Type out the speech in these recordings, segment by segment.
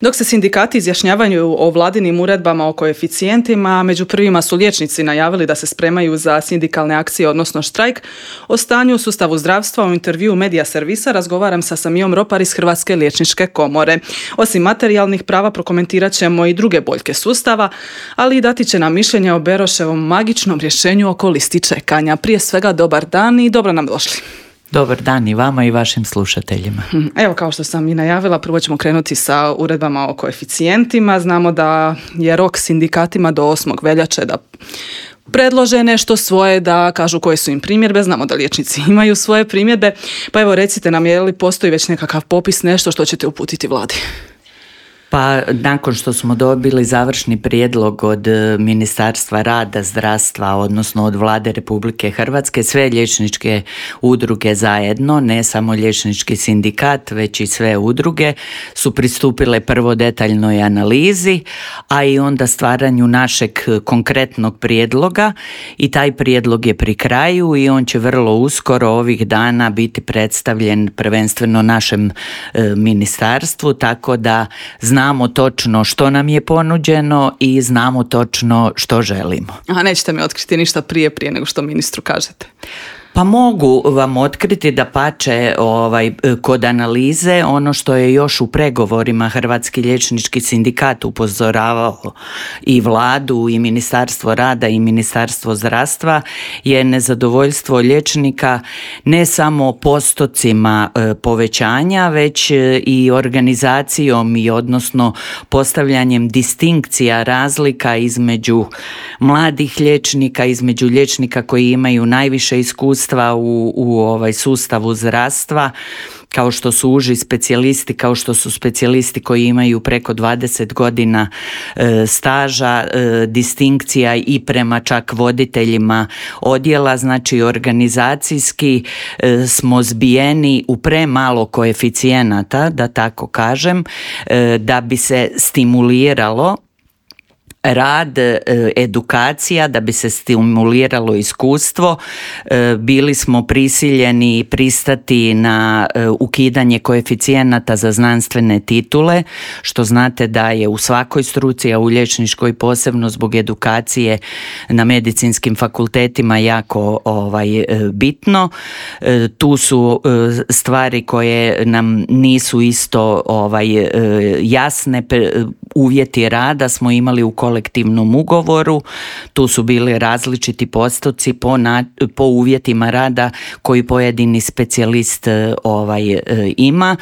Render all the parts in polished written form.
Dok se sindikati izjašnjavaju o vladinim uredbama o koeficijentima, među prvima su liječnici najavili da se spremaju za sindikalne akcije, odnosno štrajk. O stanju u sustavu zdravstva u intervjuu Medija servisa razgovaram sa Samijom Ropar iz Hrvatske liječničke komore. Osim materijalnih prava prokomentirat ćemo i druge boljke sustava, ali i dati će nam mišljenje o Beroševom magičnom rješenju oko listi čekanja. Prije svega dobar dan i dobro nam došli. Dobar dan i vama i vašim slušateljima. Evo, kao što sam i najavila, prvo ćemo krenuti sa uredbama o koeficijentima. Znamo da je rok sindikatima do 8. veljače da predlože nešto svoje, da kažu koje su im primjedbe. Znamo da liječnici imaju svoje primjedbe. Pa evo, recite nam, je li postoji već nekakav popis, nešto što ćete uputiti vladi? Pa nakon što smo dobili završni prijedlog od Ministarstva rada, zdravstva, odnosno od Vlade Republike Hrvatske, sve liječničke udruge zajedno, ne samo liječnički sindikat, već i sve udruge, su pristupile prvo detaljnoj analizi, a i onda stvaranju našeg konkretnog prijedloga, i taj prijedlog je pri kraju i on će vrlo uskoro ovih dana biti predstavljen prvenstveno našem ministarstvu, tako da znamo točno što nam je ponuđeno i znamo točno što želimo. A nećete mi otkriti ništa prije nego što ministru kažete? Pa mogu vam otkriti da pače kod analize ono što je još u pregovorima Hrvatski liječnički sindikat upozoravao i vladu i Ministarstvo rada i Ministarstvo zdravstva je nezadovoljstvo liječnika ne samo postocima povećanja, već i organizacijom i odnosno postavljanjem distinkcija, razlika između mladih liječnika, između liječnika koji imaju najviše iskustva u sustavu zdravstva, kao što su uži specijalisti, kao što su specijalisti koji imaju preko 20 godina staža, distinkcija i prema čak voditeljima odjela. Znači organizacijski smo zbijeni u premalo koeficijenata, da tako kažem, da bi se stimuliralo rad, edukacija, da bi se stimuliralo iskustvo. Bili smo prisiljeni pristati na ukidanje koeficijenata za znanstvene titule, što znate da je u svakoj struci, a u liječničkoj posebno zbog edukacije na medicinskim fakultetima jako bitno. Tu su stvari koje nam nisu isto jasne. Uvjeti rada smo imali u kolektivnom ugovoru, tu su bili različiti postoci po uvjetima rada koji pojedini specijalist ima.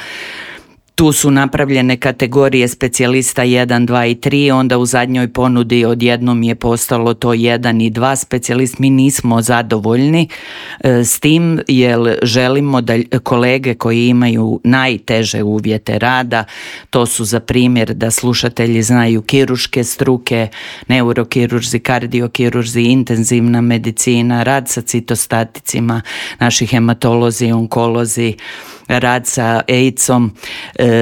Tu su napravljene kategorije specijalista 1, 2 i 3, onda u zadnjoj ponudi odjednom je postalo to 1 i 2 specijalist. Mi nismo zadovoljni s tim jer želimo da kolege koji imaju najteže uvjete rada, to su za primjer da slušatelji znaju kirurške struke, neurokirurzi, kardiokirurzi, intenzivna medicina, rad sa citostaticima, naši hematolozi, onkolozi, rad sa AIDS-om,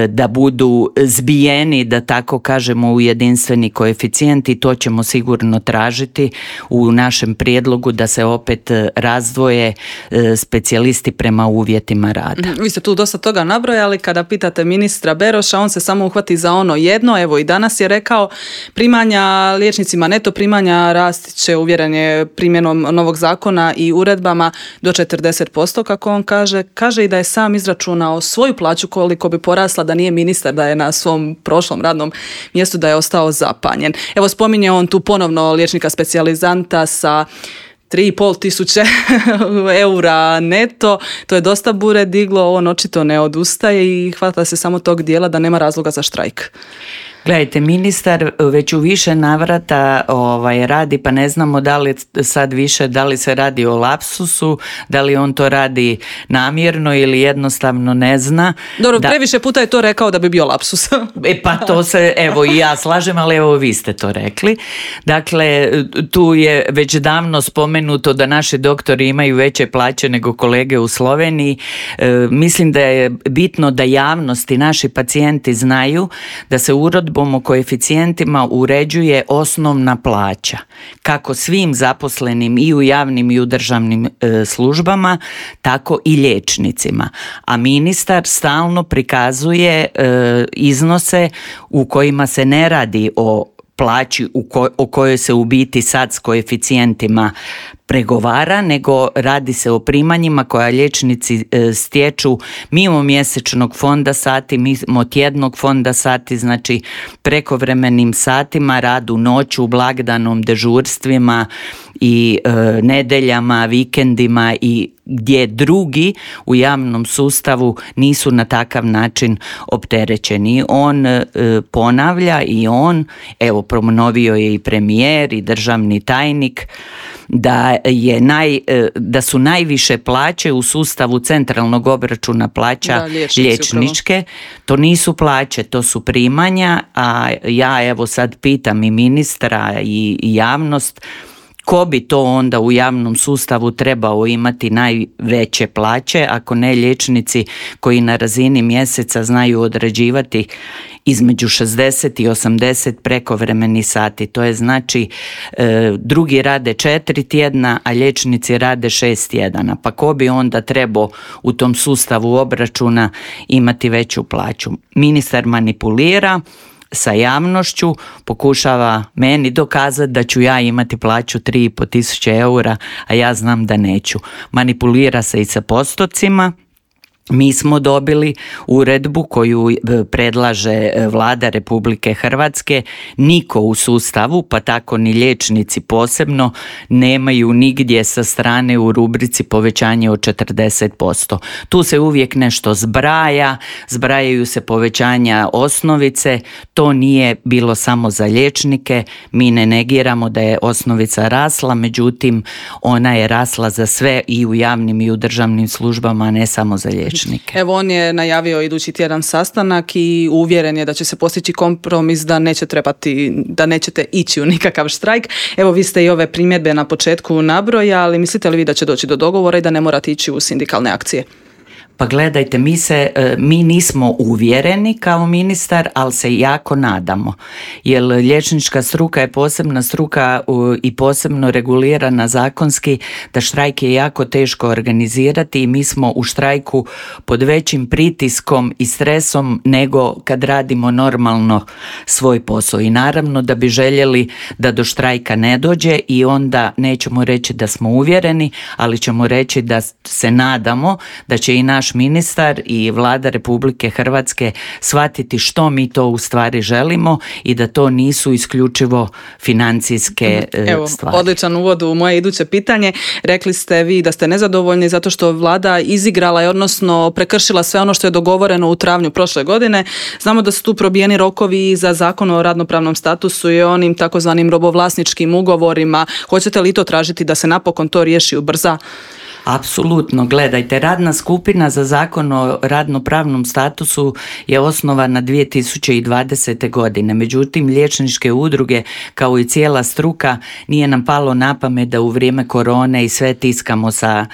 da budu zbijeni, da tako kažemo, u jedinstveni koeficijent, i to ćemo sigurno tražiti u našem prijedlogu, da se opet razdvoje specijalisti prema uvjetima rada. Vi ste tu dosta toga nabrojali. Kada pitate ministra Beroša, on se samo uhvati za ono jedno. Evo, i danas je rekao, primanja liječnicima, neto primanja rasti će, uvjeren je, primjenom novog zakona i uredbama do 40%, kako on kaže. Kaže i da je sam izračunao svoju plaću koliko bi porasla da nije ministar, da je na svom prošlom radnom mjestu, da je ostao zapanjen. Evo, spominje on tu ponovno liječnika specijalizanta sa 3.500 eura neto. To je dosta bure diglo, on očito ne odustaje i hvata se samo tog dijela da nema razloga za štrajk. Gledajte, ministar već u više navrata radi, pa ne znamo da li sad više, da li se radi o lapsusu, da li on to radi namjerno ili jednostavno ne zna. Dobro, previše puta je to rekao da bi bio lapsus. Pa to se, evo i ja slažem, ali evo vi ste to rekli. Dakle, tu je već davno spomenuto da naši doktori imaju veće plaće nego kolege u Sloveniji. Mislim da je bitno da javnost i naši pacijenti znaju da se uredbom uredbom o koeficijentima uređuje osnovna plaća, kako svim zaposlenim i u javnim i u državnim službama, tako i liječnicima. A ministar stalno prikazuje iznose u kojima se ne radi o plaći o kojoj se u biti sad s koeficijentima pregovara, nego radi se o primanjima koja liječnici stječu mimo mjesečnog fonda sati, mimo tjednog fonda sati, znači prekovremenim satima, radu noću, blagdanom, dežurstvima i nedeljama, vikendima i gdje drugi u javnom sustavu nisu na takav način opterećeni. On ponavlja i on, evo ponovio je i premijer i državni tajnik, da su najviše plaće u sustavu centralnog obračuna plaća liječničke. To nisu plaće, to su primanja, a ja evo sad pitam i ministra i javnost, ko bi to onda u javnom sustavu trebao imati najveće plaće, ako ne liječnici koji na razini mjeseca znaju odrađivati između 60 i 80 prekovremenih sati. To je znači drugi rade 4 tjedna, a liječnici rade 6 tjedana. Pa ko bi onda trebao u tom sustavu obračuna imati veću plaću? Ministar manipulira sa javnošću, pokušava meni dokazati da ću ja imati plaću 3.500 eura, a ja znam da neću. Manipulira se i sa postocima. Mi smo dobili uredbu koju predlaže Vlada Republike Hrvatske. Niko u sustavu, pa tako ni liječnici posebno, nemaju nigdje sa strane u rubrici povećanje od 40%. Tu se uvijek nešto zbrajaju se povećanja osnovice. To nije bilo samo za liječnike. Mi ne negiramo da je osnovica rasla, međutim ona je rasla za sve i u javnim i u državnim službama, a ne samo za liječnike. Evo, on je najavio idući tjedan sastanak i uvjeren je da će se postići kompromis, da nećete ići u nikakav štrajk. Evo, vi ste i ove primjedbe na početku nabrojali, mislite li vi da će doći do dogovora i da ne morate ići u sindikalne akcije? Pa gledajte, mi nismo uvjereni kao ministar, ali se jako nadamo. Jer liječnička struka je posebna struka i posebno regulirana zakonski, da štrajk je jako teško organizirati i mi smo u štrajku pod većim pritiskom i stresom nego kad radimo normalno svoj posao. I naravno da bi željeli da do štrajka ne dođe i onda nećemo reći da smo uvjereni, ali ćemo reći da se nadamo da će i naš ministar i Vlada Republike Hrvatske shvatiti što mi to u stvari želimo i da to nisu isključivo financijske stvari. Odličan uvod u moje iduće pitanje. Rekli ste vi da ste nezadovoljni zato što Vlada izigrala je, odnosno prekršila sve ono što je dogovoreno u travnju prošle godine. Znamo da su tu probijeni rokovi za Zakon o radnopravnom statusu i onim takozvanim robovlasničkim ugovorima. Hoćete li to tražiti da se napokon to riješi, ubrza? Apsolutno, gledajte, radna skupina za Zakon o radnopravnom statusu je osnovana 2020. godine. Međutim, liječničke udruge kao i cijela struka nije nam palo na pamet da u vrijeme korone i sve tiskamo sa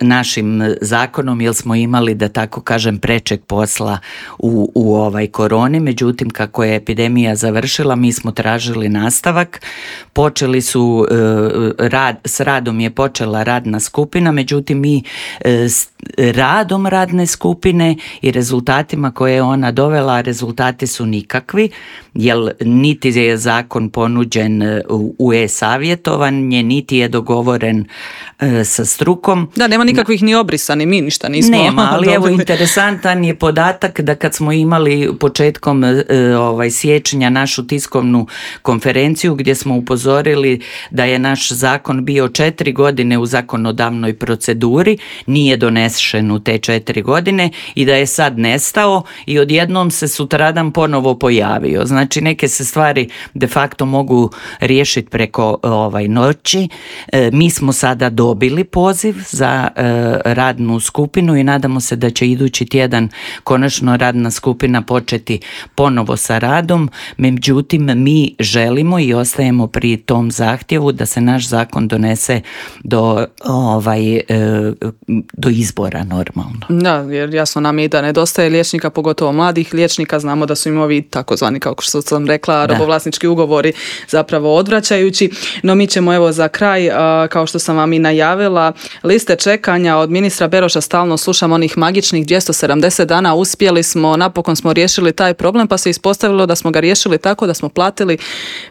našim zakonom, jer smo imali, da tako kažem, prečeg posla u ovoj koroni. Međutim, kako je epidemija završila, mi smo tražili nastavak. S radom je počela radna skupina. Međutim, mi radom radne skupine i rezultatima koje je ona dovela, rezultati su nikakvi, jer niti je zakon ponuđen u e-savjetovanje, niti je dogovoren sa strukom. Da, nema nikakvih ni obrisa, ni mi ništa nismo. Nema, ali evo interesantan je podatak da kad smo imali početkom siječnja našu tiskovnu konferenciju gdje smo upozorili da je naš zakon bio 4 godine u zakonodavnoj proceduri, nije donesen u te 4 godine i da je sad nestao i odjednom se sutradan ponovo pojavio. Znači neke se stvari de facto mogu riješiti preko noći. Mi smo sada dobili poziv za radnu skupinu i nadamo se da će idući tjedan konačno radna skupina početi ponovo sa radom. Međutim, mi želimo i ostajemo pri tom zahtjevu da se naš zakon donese do izbora. izbora normalno. Da, jer jasno nam je da nedostaje liječnika, pogotovo mladih liječnika, znamo da su im ovi takozvani, kako što sam rekla, robovlasnički ugovori zapravo odvraćajući. No mi ćemo evo za kraj, kao što sam vam i najavila, liste čekanja od ministra Beroša stalno slušam onih magičnih 270 dana, uspjeli smo, napokon smo riješili taj problem, pa se ispostavilo da smo ga riješili tako da smo platili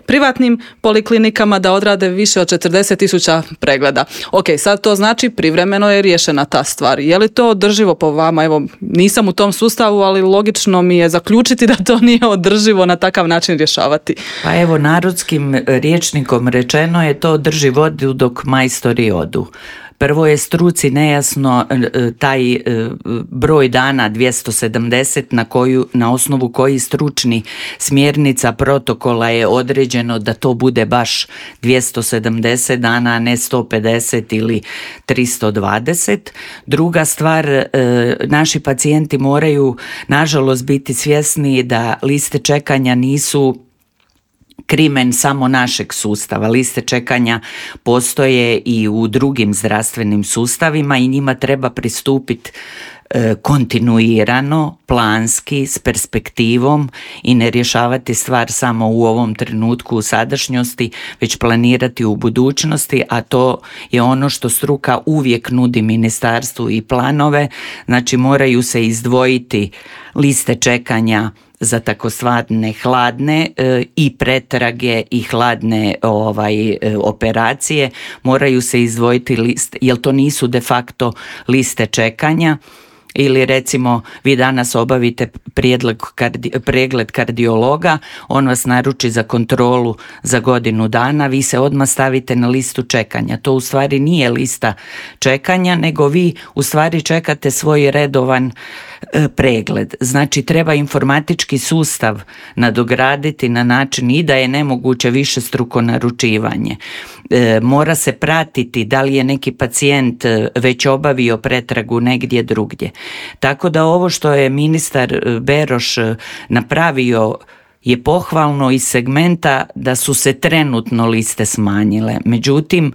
privatnim poliklinikama da odrade više od 40.000 pregleda. Ok, sad to znači privremeno je riješena ta stvar. Je li to održivo po vama? Evo, nisam u tom sustavu, ali logično mi je zaključiti da to nije održivo na takav način rješavati. Pa evo, narodskim rječnikom rečeno je to drži vodu dok majstori odu. Prvo je struci nejasno taj broj dana 270 na osnovu koji stručni smjernica protokola je određeno da to bude baš 270 dana, a ne 150 ili 320. Druga stvar, naši pacijenti moraju nažalost biti svjesni da liste čekanja nisu krimen samo našeg sustava. Liste čekanja postoje i u drugim zdravstvenim sustavima i njima treba pristupiti kontinuirano, planski, s perspektivom i ne rješavati stvar samo u ovom trenutku u sadašnjosti, već planirati u budućnosti, a to je ono što struka uvijek nudi ministarstvu i planove. Znači moraju se izdvojiti liste čekanja za takozvane hladne i pretrage i hladne operacije, moraju se izdvojiti liste, jer to nisu de facto liste čekanja. Ili recimo vi danas obavite pregled kardiologa, on vas naruči za kontrolu za godinu dana, vi se odmah stavite na listu čekanja. To u stvari nije lista čekanja, nego vi u stvari čekate svoj redovan pregled. Znači treba informatički sustav nadograditi na način i da je nemoguće višestruko naručivanje. Mora se pratiti da li je neki pacijent već obavio pretragu negdje drugdje. Tako da ovo što je ministar Beroš napravio je pohvalno iz segmenta da su se trenutno liste smanjile. Međutim,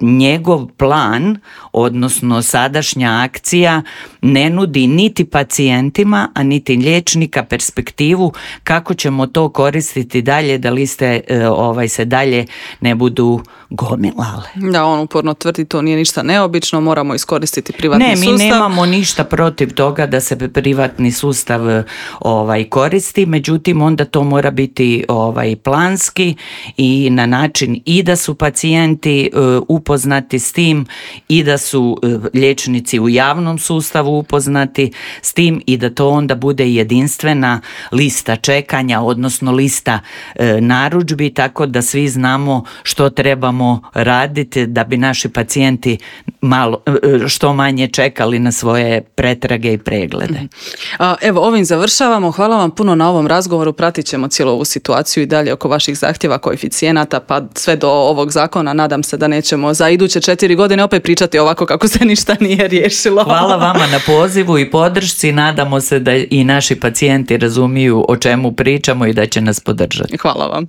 njegov plan, odnosno sadašnja akcija, ne nudi niti pacijentima, a niti liječnika perspektivu kako ćemo to koristiti dalje da liste se dalje ne budu gomilale. Da, on uporno tvrdi to nije ništa neobično, moramo iskoristiti privatni sustav. Ne, mi nemamo ništa protiv toga da se privatni sustav koristi, međutim onda to mora biti planski i na način i da su pacijenti upoznati s tim i da su liječnici u javnom sustavu upoznati s tim i da to onda bude jedinstvena lista čekanja, odnosno lista narudžbi, tako da svi znamo što trebamo raditi da bi naši pacijenti što manje čekali na svoje pretrage i preglede. Evo, ovim završavamo. Hvala vam puno na ovom razgovoru. Pratit ćemo cijelu ovu situaciju i dalje oko vaših zahtjeva, koeficijenata, pa sve do ovog zakona. Nadam se da nećemo za iduće 4 godine opet pričati ovako kako se ništa nije riješilo. Hvala vama na pozivu i podršci. Nadamo se da i naši pacijenti razumiju o čemu pričamo i da će nas podržati. Hvala vam.